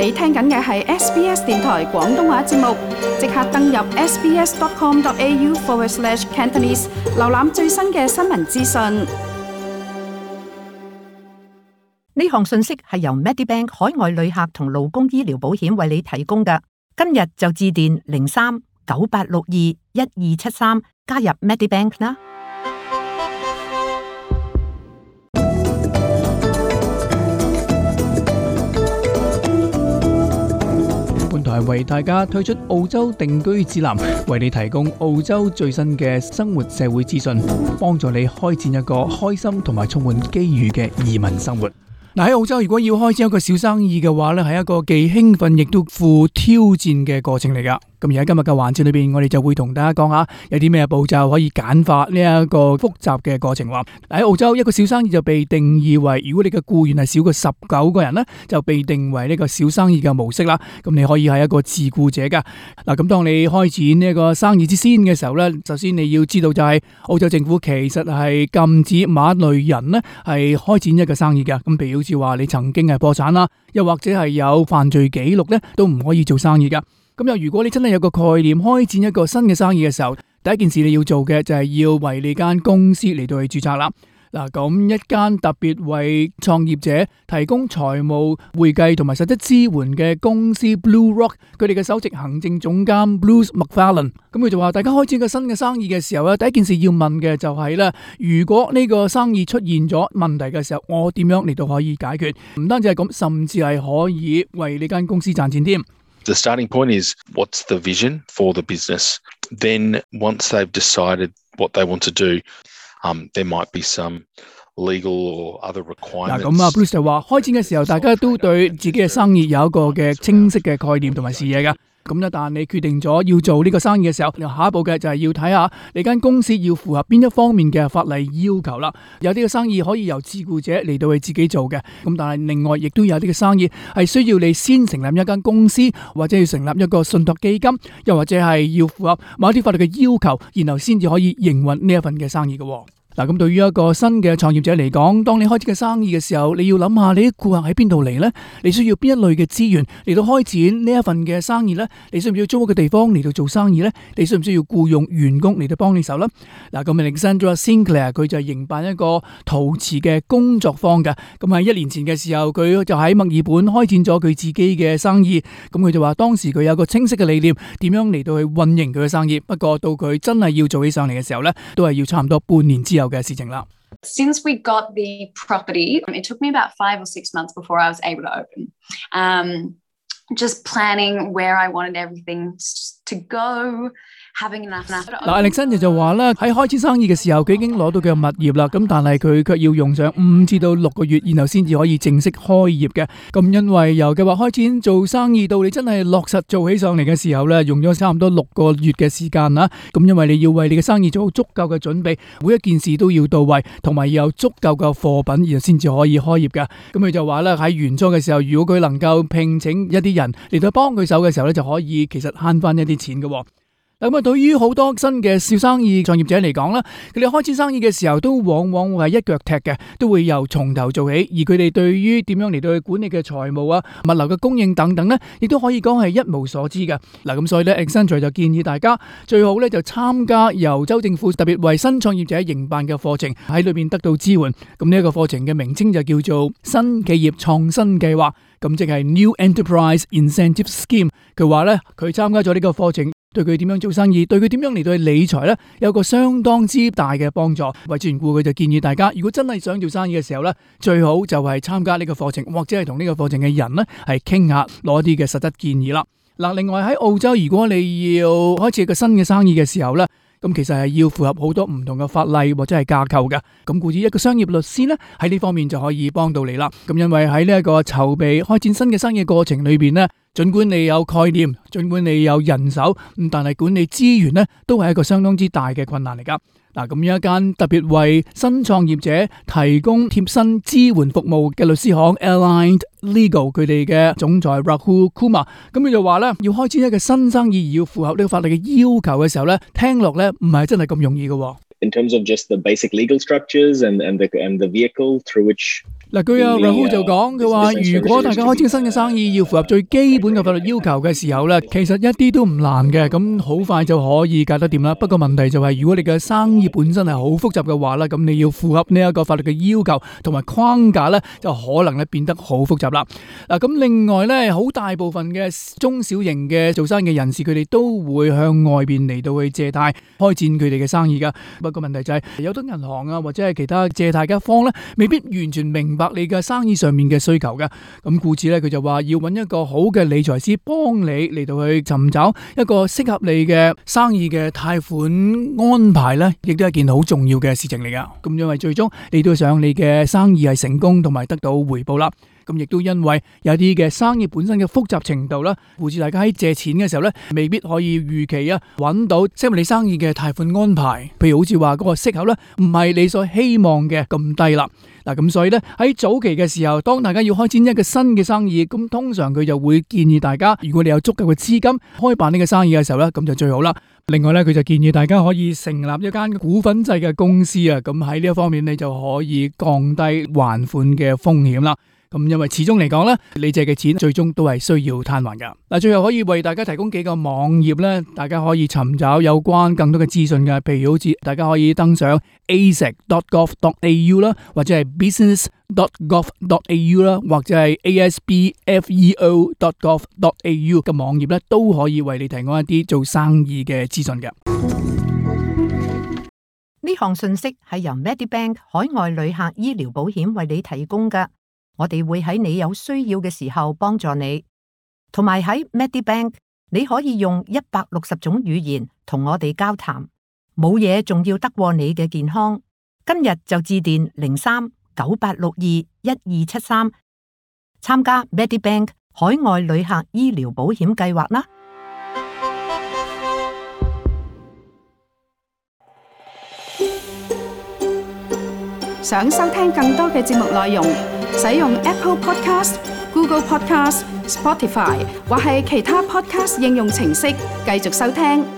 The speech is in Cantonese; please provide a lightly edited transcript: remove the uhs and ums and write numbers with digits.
你聽緊嘅係 SBS 電台廣東話節目，即刻登入 sbs.com.au/Cantonese 瀏覽最新嘅新聞資訊。呢項信息係由 Medibank 海外旅客同勞工醫療保險為你提供嘅。今日就致電03-9862-1273加入 Medibank 啦。本台為大家推出澳洲定居指南，為你提供澳洲最新嘅生活社會資訊，幫助你開展一個開心同埋充滿機遇嘅移民生活。喺澳洲，如果要開展一個小生意嘅話咧，係一個既興奮亦都富挑戰嘅過程嚟噶。咁而喺今日嘅環節裏邊，我哋就會同大家講下有啲咩步驟可以簡化呢一個複雜嘅過程。喺澳洲，一個小生意就被定義為，如果你嘅僱員係少過19個人呢，就被定為呢個小生意嘅模式啦。咁你可以係一個自僱者噶。嗱，咁當你開展呢個生意之先嘅時候呢，首先你要知道就係澳洲政府其實係禁止某一類人呢係開展一個生意嘅。咁譬如好似話你曾經係破產啦，又或者係有犯罪記錄呢，都唔可以做生意噶。咁又如果你真係有個概念開展一個新嘅生意嘅時候，第一件事你要做嘅就係要為你間公司嚟到去註冊啦。嗱，咁一間特別為創業者提供財務、會計同埋實質支援嘅公司 Blue Rock， 佢哋嘅首席行政總監 Bruce McFarlane， 咁佢就話大家開展個新嘅生意嘅時候咧，第一件事要問嘅就係咧，如果呢個生意出現咗問題嘅時候，我點樣嚟到可以解決？唔單止係咁，甚至係可以為呢間公司賺錢添。The starting point is what's the vision for the business. Then once they've decided what they want to do, there might be some legal or other requirements. 嗱，咁Bruce 就話開展嘅時候，大家都對自己嘅生意有一個嘅清晰嘅概念同埋視野㗎。咁一旦你決定咗要做呢個生意嘅時候，下一步嘅就係要睇下你間公司要符合邊一方面嘅法例要求啦。有啲嘅生意可以由自僱者嚟到去自己做嘅，咁但係另外亦都有啲嘅生意係需要你先成立一間公司，或者要成立一個信託基金，又或者係要符合某啲法律嘅要求，然後先至可以營運呢一份嘅生意嘅。嗱，咁對於一個新嘅創業者嚟講，當你開始嘅生意嘅時候，你要諗下你啲顧客喺邊度嚟呢？你需要邊一類嘅資源嚟到開展呢一份嘅生意呢？你需唔需要租屋嘅地方嚟到做生意呢？你需唔需要僱用員工嚟到幫你手呢？嗱，咁 Alexandra Sinclair 佢就係營辦一個陶瓷嘅工作坊嘅。咁喺1年前嘅時候，佢就喺墨爾本開展咗佢自己嘅生意。咁佢就話當時佢有個清晰嘅理念，點樣嚟到去運營佢嘅生意。不過到佢真係要做起上嚟嘅時候呢，都係要差唔多半年之後嘅事情啦。Since we got the property, it took me about 5 or 6 months before I was able to open. Just planning where I wanted everything to go. Alexander 就話啦，喺開始生意嘅時候，佢已經攞到佢嘅物業啦，咁但係佢卻要用上5至到6個月，然後先至可以正式開業嘅。咁因為由計劃開展做生意到你真係落實做起上嚟嘅時候咧，用咗差唔多6個月嘅時間啦。咁因為你要為你嘅生意做好足夠嘅準備，每一件事都要到位，同埋要有足夠嘅貨品，然後先至可以開業嘅。咁佢就話咧，喺原初嘅時候，如果佢能夠聘請一啲人嚟到幫佢手嘅時候咧，就可以其實慳翻一啲錢嘅。咁啊，對於好多新嘅小生意創業者嚟講啦，佢哋開始生意嘅時候都往往會係一腳踢嘅，都會由從頭做起。而佢哋對於點樣嚟到去管理嘅財務啊、物流嘅供應等等咧，亦都可以講係一無所知嘅。嗱，咁所以咧 Accenture 就建議大家最好咧就參加由州政府特別為新創業者營辦嘅課程，喺裏邊得到支援。咁呢一個課程嘅名稱就叫做新企業創新計劃，咁即係 New Enterprise Incentive Scheme。佢話咧，佢參加咗呢個課程，對佢點樣做生意，對佢點樣嚟到去理財呢，有個相當之大嘅幫助。為此緣故，佢就建議大家，如果真係想做生意嘅時候呢，最好就係參加呢個課程，或者係同呢個課程嘅人呢係傾下，攞啲嘅實質建議啦。嗱，另外喺澳洲，如果你要開始一個新嘅生意嘅時候呢，咁其實係要符合好多唔同嘅法例或者係架構嘅。咁故此一個商業律師呢，喺呢方面就可以幫到你啦。咁因為喺呢一個籌備開展新嘅生意過程裏邊呢，儘管你有概念，儘管你有人手，但係管理資源呢，都係一個相當之大嘅困難嚟噶。嗱，咁一間特別為新創業者提供貼身支援服務嘅律師行 Aligned Legal， 佢哋嘅總裁 Rahul Kumar， 咁佢就話咧，要開展一個新生意而要符合呢個法律嘅要求嘅時候咧，聽落咧唔係真係咁容易嘅。In terms of just the basic legal structures and the vehicle through which 嗱，據阿 Rahul 就講，佢話如果大家開新嘅生意要符合最基本嘅法律要求嘅時候咧，其實一啲都唔難嘅，咁好快就可以搞得掂啦。不過問題就係，如果你嘅生意本身係好複雜嘅話咧，咁你要符合呢一個法律嘅要求同埋框架咧，就可能咧變得好複雜啦。嗱，咁另外咧，好大部分嘅中小型嘅做生意嘅人士，佢哋都會向外邊嚟到去借貸開展佢哋嘅生意噶。不過問題就係，有啲銀行啊或者係其他借貸嘅一方咧，未必完全明白你嘅生意上面嘅需求嘅，咁故此咧，佢就話要揾一個好嘅理財師幫你嚟到去尋找一個適合你嘅生意嘅貸款安排咧，亦都係一件好重要嘅事情嚟噶。咁因為最終你都想你嘅生意係成功同埋得到回報啦。咁亦都因為有啲嘅生意本身嘅複雜程度啦，故此大家喺借錢嘅時候咧，未必可以預期揾到適合你生意嘅貸款安排。譬如好似話嗰個息口咧，唔係你所希望嘅咁低啦。嗱，咁所以咧，喺早期嘅時候，當大家要開展一個新嘅生意，咁通常佢就會建議大家，如果你有足夠嘅資金開辦呢個生意嘅時候咧，咁就最好啦。另外咧，佢就建議大家可以成立一間股份制嘅公司啊，咁喺呢一方面你就可以降低還款嘅風險啦。咁因為始終嚟講咧，你借嘅錢最終都係需要攤還噶。嗱，最後可以為大家提供幾個網頁咧，大家可以尋找有關更多嘅資訊嘅，譬如好似大家可以登上 asec.gov.au 啦，或者係 business.gov.au 啦，或者係 aspfeo.gov.au 嘅網頁咧，都可以為你提供一啲做生意嘅資訊嘅。呢項信息係由 Medibank 海外旅客醫療保險為你提供㗎。我哋會喺你有需要嘅時候幫助你，同埋喺 Medibank 你可以用160種語言同我哋交談，冇嘢仲要得過你嘅健康。今日就致電03-9862-1273參加 Medibank 海外旅客醫療保險計劃啦。想收聽更多嘅節目內容，使用 Apple Podcast、Google Podcast、Spotify 或係其他 Podcast 應用程式繼續收聽。